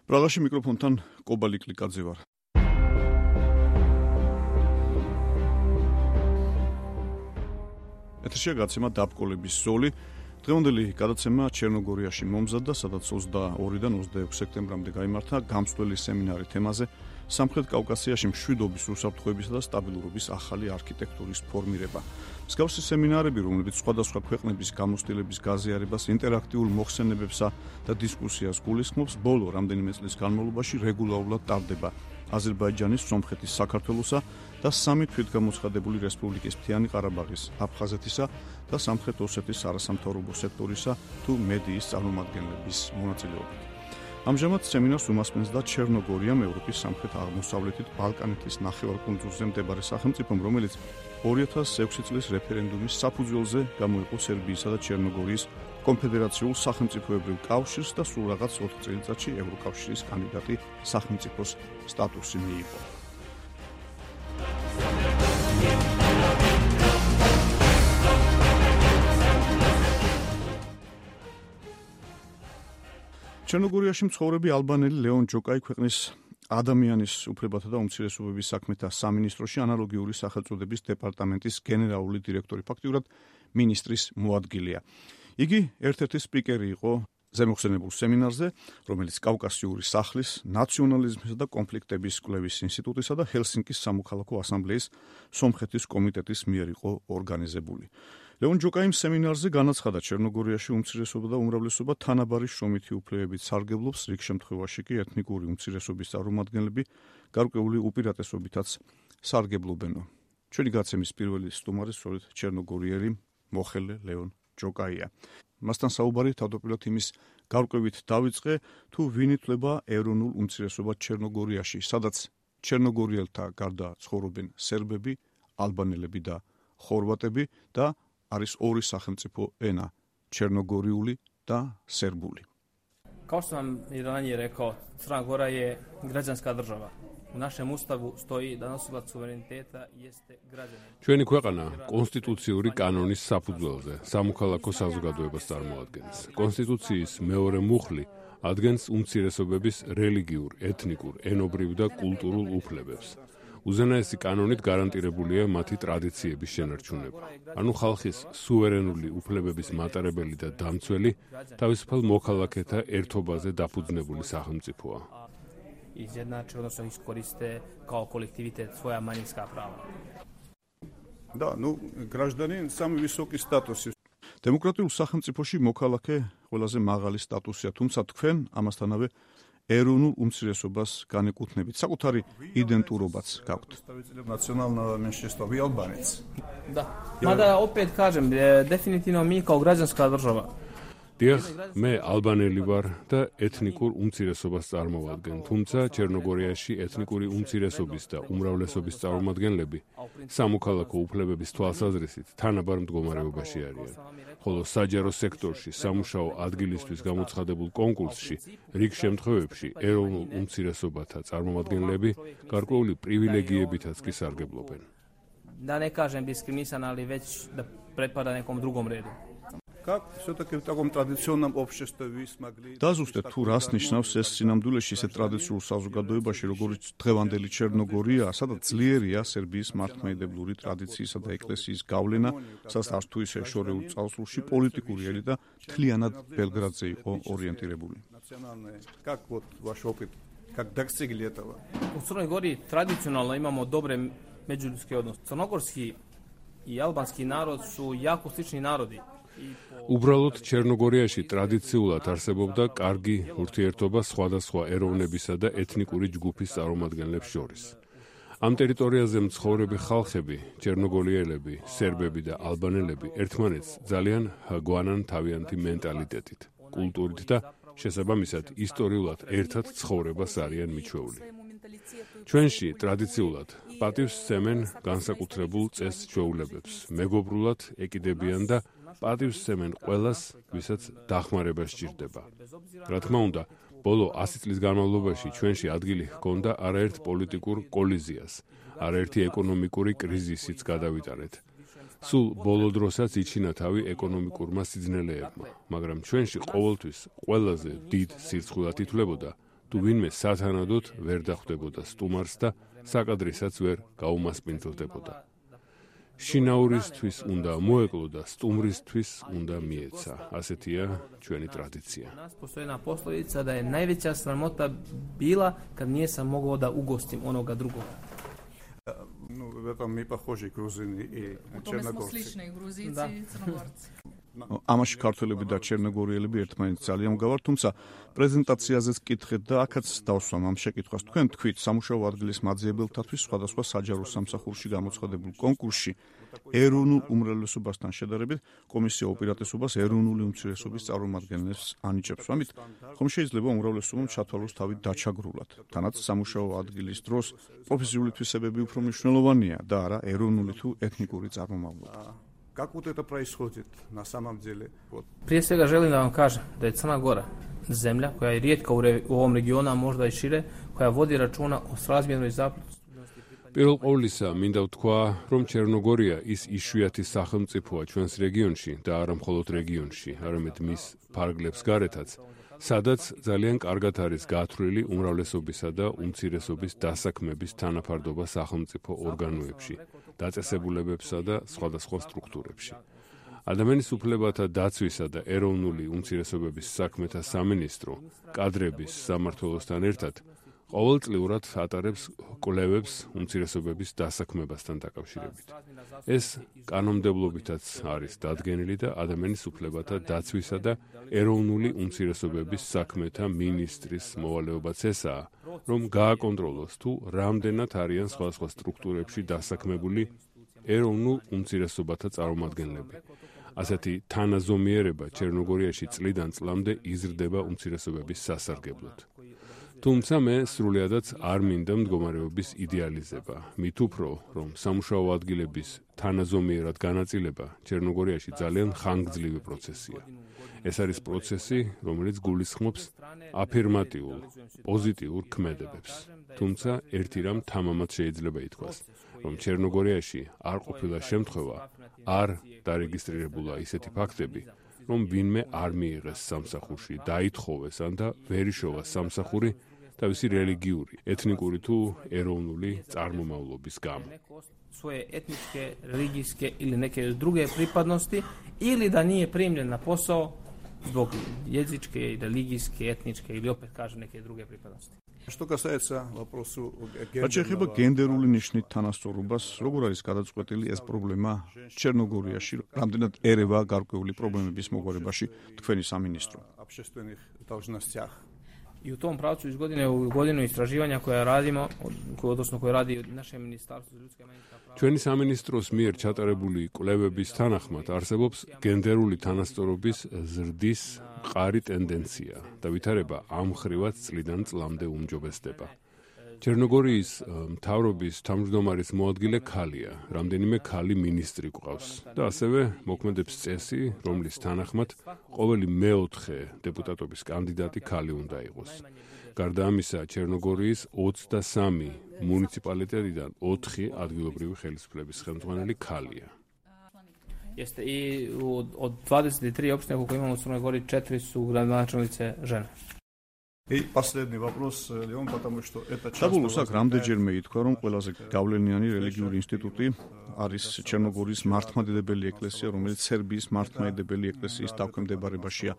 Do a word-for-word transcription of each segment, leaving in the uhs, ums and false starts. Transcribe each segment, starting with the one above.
პრაღაში მიკროფონთან კობალი კლიკაძე ვარ. ეთერშია გაცემა დაბკოლების ზოლი. დღევანდელი გადაცემა ჩერნოგორიაში მომზადდა, სადაც ოცდაორიდან ოცდაექვსი სექტემბრამდე გაიმართა გამსვლელი სემინარი თემაზე სამხრეთ კავკასიაში მშვიდობის, უსაფრთხოებისა და სტაბილურობის ახალი არქიტექტურის ფორმირება. მსგავსი სემინარები, რომლებიც სხვადასხვა ქვეყნების გამოცდილების გაზიარებას, ინტერაქტიულ მოხსენებებსა და დისკუსიას გულისხმობს, ბოლო რამდენიმე წლის განმავლობაში რეგულარულად ტარდება აზერბაიჯანის, სომხეთის, საქართველოსა და სამი თვითგამოცხადებული რესპუბლიკის მთიანი ყარაბაღის, აფხაზეთისა და სამხრეთ ოსეთის არასამთავრობო სექტორისა თუ მედიის წარმომადგენლების მონაწილეობით. ამჟამად სემინარს უმასპინძლა და ჩერნოგორიამ, ევროპის სამხრეთ-აღმოსავლეთით ბალკანეთის ნახევარკუნძულზე მდებარე სახელმწიფომ, რომელიც ორი ათას ექვსი წლის რეფერენდუმის საფუძველზე გამოიყო სერბიისა და ჩერნოგორიის კონფედერაციულ სახელმწიფოებრივ კავშირს და სულ რაღაც ოთხ წელიწადში ევროკავშირის კანდიდატი სახელმწიფოს სტატუსი მიიღო. ჩერნოგორიაში მცხოვრები ალბანელი ლეონ ჯოკაი ქვეყნის ადამიანის უფლებათა და უმცირესობების საქმეთა სამინისტროში ანალოგიური სახელწოდების დეპარტამენტის გენერალური დირექტორი, ფაქტიურად მინისტრის მოადგილეა. იგი ერთ-ერთი სპიკერი იყო ზემოხსენებულ სემინარზე, რომელიც კავკასიური სახლის, ნაციონალიზმისა და კონფლიქტების კვლევის ინსტიტუტისა და ჰელსინკის სამოქალაქო ასამბლეის სომხეთის კომიტეტის მიერ იყო ორგანიზებული. ლეონ ჯოკაიმ სემინარზე განაცხადა, ჩერნოგორიაში უმცირესობა და უმრავლესობა თანაბარი შრომითი უფლებებით სარგებლობს, რიგ შემთხვევაში კი ეთნიკური უმცირესობის წარმომადგენლები გარკვეული უპირატესობითაც სარგებლობენ. ჩვენი გაცემის პირველი სტუმარი სწორედ ჩერნოგორიელი მოხელე ლეონ ჯოკაია. მასთან საუბარი თავდაპირველად იმის გარკვევით დავიწყე, თუ ვინ ითვლება ეროვნულ უმცირესობად ჩერნოგორიაში, სადაც ჩერნოგორიელთა გარდა ცხოვრობენ სერბები, ალბანელები და ხორვატები და არის ორი სახელმწიფო ენა, ჩერნოგორიული და სერბული. Kao što sam i ranije rekao, Crna Gora je građanska država. U našem ustavu stoji da nosilac suvereniteta jeste građanin. ჩვენი ქვეყანა კონსტიტუციური კანონის საფუძველზე სამოქალაქო საზოგადოებას წარმოადგენს. კონსტიტუციის მეორე მუხლი ადგენს უმცირესობების რელიგიურ, ეთნიკურ, ენობრივ და კულტურულ უფლებებს. უზენაესი კანონით გარანტირებულია მათი ტრადიციების შენარჩუნება. ანუ ხალხის სუვერენული უფლებების მატარებელი და დამცველი თავისუფალ მოქალაქეთა ერთობაზე დაფუძნებული სახელმწიფოა. Izjednače, odnosno iskoriste kao kolektivitet svoja manjinska prava. Da, ну, гражданин самый высокий статус. Демократიულ სახელმწიფოში მოქალაქე ყველაზე მაღალი სტატუსია, თუმცა თქვენ ამასთანავე ეროვნულ უმცირესობას განეკუთვნებით, საკუთარი იდენტურობაც გაქვთ. Национального меньшинства вы албанец. Da. Mada opet kažem, definitivno mi kao građanska država. დიახ, მე ალბანელი ვარ და ეთნიკურ უმცირესობას წარმოვადგენ, თუმცა ჩერნოგორიაში ეთნიკური უმცირესობის და უმრავლესობის წარმომადგენლები სამოქალაქო უფლებების თვალსაზრისით თანაბარ მდგომარეობაში არიან. ხოლო საჯარო სექტორში სამუშაო ადგილისთვის გამოცხადებულ კონკურსში რიგ შემთხვევებში ეროვნულ უმცირესობათა წარმომადგენლები გარკვეული პრივილეგიებითაც კი სარგებლობენ. Da ne kažem diskriminisan, ali već da pripada nekom drugom redu. Как все-таки в таком традиционном обществе вы смогли... დაზუსტეთ თუ რას ნიშნავს ეს სინამდვილეში ისეთ ტრადიციულ საზოგადოებაში, როგორც დღევანდელი ჩერნოგორია, სადაც ძლიერია სერბიის მართლმადიდებლური ტრადიციისა და ეკლესიის გავლენა, სადაც არც თუ ისე შორეულ წარსულში პოლიტიკური ელიტა მთლიანად ბელგრადზე იყო ორიენტირებული. Как вот ваш опыт, как достигли этого? U Crnoj Gori tradicionalno imamo dobre međuljudske odnose. Crnogorski i albanski narod su jako slični narodi. უბრალოდ ჩერნოგორიაში ტრადიციულად არსებობდა კარგი ურთიერთობა სხვადასხვა ეროვნებისა და ეთნიკური ჯგუფის წარმომადგენლებს შორის. ამ ტერიტორიაზე მცხოვრები ხალხები, ჩერნოგორიელები, სერბები და ალბანელები ერთმანეთს ძალიან გვანან თავიანთი მენტალიტეტით, კულტურით და შესაბამისად ისტორიულად ერთად ცხოვრებას არიან მიჩვეული. ჩვენში ტრადიციულად პატივს სცემენ განსაკუთრებულ წეს-ჩვეულებებს, მეგობრულად ეკიდებიან და პატივს სცემენ ყველას, ვისაც დახმარება სჭირდება. რა თქმა უნდა, ბოლო ასი წლის განმავლობაში ჩვენში ადგილი ჰქონდა არაერთ პოლიტიკურ კოლიზიას, არაერთი ეკონომიკური კრიზისიც გადავიტანეთ. სულ ბოლო დროსაც იჩინა თავი ეკონომიკურმა სიძნელეებმა, მაგრამ ჩვენში ყოველთვის ყველაზე დიდ სირცხვილად ითვლებოდა თუ ვინმე სათანადოდ ვერ დახვდებოდა სტუმარს და საკადრისაც ვერ გაუმასპინძლდებოდა. შინაურისთვის უნდა მოეკლო და სტუმრისთვის უნდა მიეცა. ასეთია ჩვენი ტრადიცია. Nas postoji jedna poslovica da je najveća sramota bila kad nisam mogao da ugostim onoga drugoga. Ну, в этом мы похожи, грузины и черногорцы. Сличные грузийцы и черногорцы. ამაში ქართველები და ჩერნოგორიელები ერთმანეთს ძალიან მგავართ, თუმცა პრეზენტაციაზეც კითხეთ და აქაც დავსვამ ამ შეკითხვას. თქვენ თქვით სამუშაო ადგილის მაძიებელთათვის სხვადასხვა საჯარო სამსახურში გამოცხადებულ კონკურსში ეროვნულ უმრავლესობასთან შედარებით კომისია უპირატესობას ეროვნული უმცირესობის წარმომადგენლებს ანიჭებს. ამით ხომ შეიძლება უმრავლესობამ ჩათვალოს თავი დაჩაგრულად. თანაც სამუშაო ადგილის დროს პროფესიული თვისებები უფრო მნიშვნელოვანია და არა ეროვნული თუ ეთნიკური წარმომავლობა. Как вот это происходит на самом деле? Вот. Prije svega želim da vam kažem da je Crna Gora zemlja koja je rijetka u, re, u ovom regionu, a možda i šire, koja vodi računa o srazmjernoj zastupljenosti. პირველ ყოვლისა მინდა ვთქვა, რომ ჩერნოგორია ის იშვიათი სახელმწიფოა ჩვენს რეგიონში და არა მხოლოდ რეგიონში, არამედ მის ფარგლებს გარეთაც, სადაც ძალიან კარგად არის გათვლილი უმრავლესობისა და უმცირესობის დასაქმების თანაფარდობა სახელმწიფო ორგანოებში, დაწესებულებებსა და სხვადასხვა სტრუქტურებში. ადამიანის უფლებათა დაცვისა და ეროვნული უმცირესობების საქმეთა სამინისტრო კადრების სამმართველოსთან ერთად ყოველწლიურად ატარებს კვლევებს უმცირესობების დასაქმებასთან დაკავშირებით. ეს კანონმდებლობითაც არის დადგენილი და ადამიანის უფლებათა დაცვისა და ეროვნული უმცირესობების საქმეთა მინისტრის მოვალეობაც ესაა, რომ გააკონტროლოს თუ რამდენად არიან სხვადასხვა სტრუქტურებში დასაქმებული ეროვნულ უმცირესობათა წარმომადგენლები. ასეთი თანაზომიერება ჩერნოგორიაში წლიდან წლამდე იზრდება უმცირესობების სასარგებლოდ. თუმცა მე სრულიადაც არ მინდა მდგომარეობის იდეალიზება. მით უფრო, რომ სამუშაო ადგილების თანაზომიერად განაწილება ჩერნოგორიაში ძალიან ხანგრძლივი პროცესია. ეს არის პროცესი, რომელიც გულისხმობს აფირმატიულ, პოზიტიურ ქმედებებს. თუმცა ერთი რამ თამამად შეიძლება ითქვას, რომ ჩერნოგორიაში არ ყოფილა შემთხვევა, არ დარეგისტრირებულა ისეთი ფაქტები, რომ ვინმე არ მიიღეს სამსახურში, დაითხოვეს ან და ვერ იშოვა სამსახური თავისი რელიგიური, ეთნიკური თუ ეროვნული წარმომავლობის გამო. Svoje etničke, religijske ili neke druge pripadnosti ili da nije primljen na posao zbog jezičke, religijske, etničke ili opet kaže neke druge pripadnosti. Что касается вопросу რაც შეეხება გენდერული ნიშნით თანასწორობას, როგორ არის გადაწყვეტილი ეს პრობლემა ჩერნოგორიაში, რამდენად ერევა გარკვეული პრობლემების მოგვარებაში თქვენი სამინისტრო? общественных должностях. I u tom pravcu iz godine u godinu istraživanja koja radimo, odnosno koje radi naše ministarstvo za ljudska i manjinska prava. ჩვენი სამინისტროს მიერ ჩატარებული კვლევების თანახმად არსებობს გენდერული თანასწორობის ზრდის მყარი ტენდენცია და ვითარება ამ ხრივაც წლიდან წლამდე უმჯობესდება. ჩერნოგორიის მთავრობის თავმჯდომარის მოადგილე ქალია, რამდენიმე ქალი მინისტრი გვყავს და ასევე მოქმედებს წესი, რომლის თანახმად ყოველი მეოთხე დეპუტატობის კანდიდატი ქალი უნდა იყოს. გარდა ამისა, ჩერნოგორიის ოცდასამი მუნიციპალიტეტიდან ოთხი ადგილობრივი ხელისუფლების ხელმძღვანელი ქალია. Jeste i od dvadeset tri opštine koliko imamo u Crnoj Gori, četiri su gradonačelnice žene. И последний вопрос, Леон, потому что это часто... საბოლოოს აქ რამდენჯერმე ითქვა, რომ ყველაზე გავლენიანი რელიგიური ინსტიტუტი არის ჩერნოგორიის მართლმადიდებელი ეკლესია, რომელიც სერბიის მართლმადიდებელი ეკლესიის დაქვემდებარებაშია.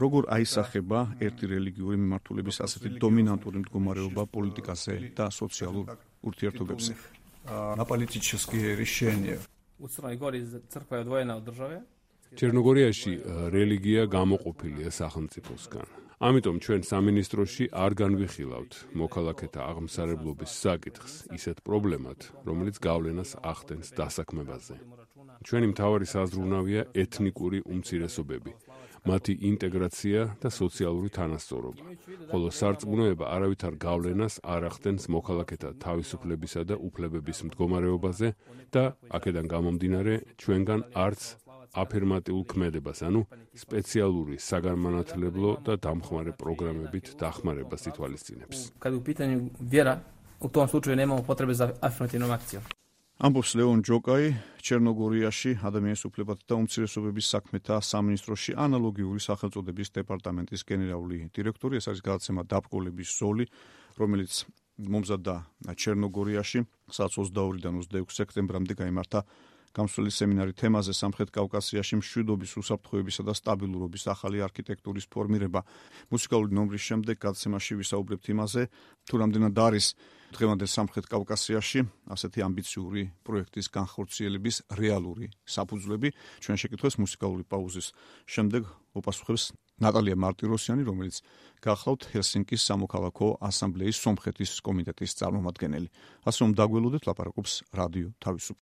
როგორ აისახება ერთი რელიგიური მიმართულების ასეთი დომინანტური მდგომარეობა პოლიტიკაზე და სოციალურ ურთიერთობებზე? На политические решения. U Crnoj Gori crkva je odvojena od države. ჩერნოგორიაში რელიგია გამოყოფილია სახელმწიფოსგან. ამიტომ ჩვენ სამინისტროში არ განვიხილავთ მოქალაქეთა აღმსარებლობის საკითხს ისეთ პრობლემად, რომელიც გავლენას ახდენს დასაქმებაზე. ჩვენი მთავარი საზრუნავია ეთნიკური უმცირესობები, მათი ინტეგრაცია და სოციალური თანასწორობა, ხოლო სარწმუნოება არავითარ გავლენას არ ახდენს მოქალაქეთა თავისუფლებისა და უფლებების მდგომარეობაზე და აქედან გამომდინარე ჩვენგან არც აფირმატიულ ქმედებას, ანუ სპეციალური საგანმანათლებლო და დამხმარე პროგრამებით დახმარებას ითვალისწინებს. Kad je u pitanju vjera, u tom slučaju nemamo potrebe za afirmativnom akcijom. ამბობს ლეონ ჯოკაი, ჩერნოგორიაში ადამიანის უფლებათა და უმცირესობების საქმეთა სამინისტროში ანალოგიური სახელწოდების დეპარტამენტის გენერალური დირექტორი. ეს არის გადაცემა დაბრკოლების ზოლი, რომელიც მომზადდა ჩერნოგორიაში, სადაც ოცდაორიდან ოცდაექვსი სექტემბრამდე გაიმართა გამსვლელი სემინარი თემაზე სამხრეთ კავკასიაში მშვიდობის, უსაფრთხოებისა და სტაბილურობის ახალი არქიტექტურის ფორმირება. მუსიკალური ნომრის შემდეგ გადაცემაში ვისაუბრებთ იმაზე, თუ რამდენად არის დღევანდელ სამხრეთ კავკასიაში ასეთი ამბიციური პროექტის განხორციელების რეალური საფუძვლები. ჩვენ შეკითხვას მუსიკალური პაუზის შემდეგ უპასუხებს ნატალია მარტიროსიანი, რომელიც გახლავთ ჰელსინკის სამოქალაქო ასამბლეის სომხეთის კომიტეტის წარმომადგენელი. ასე რომ დაგველოდეთ, ლაპარაკობს რადიო თავისუფლება.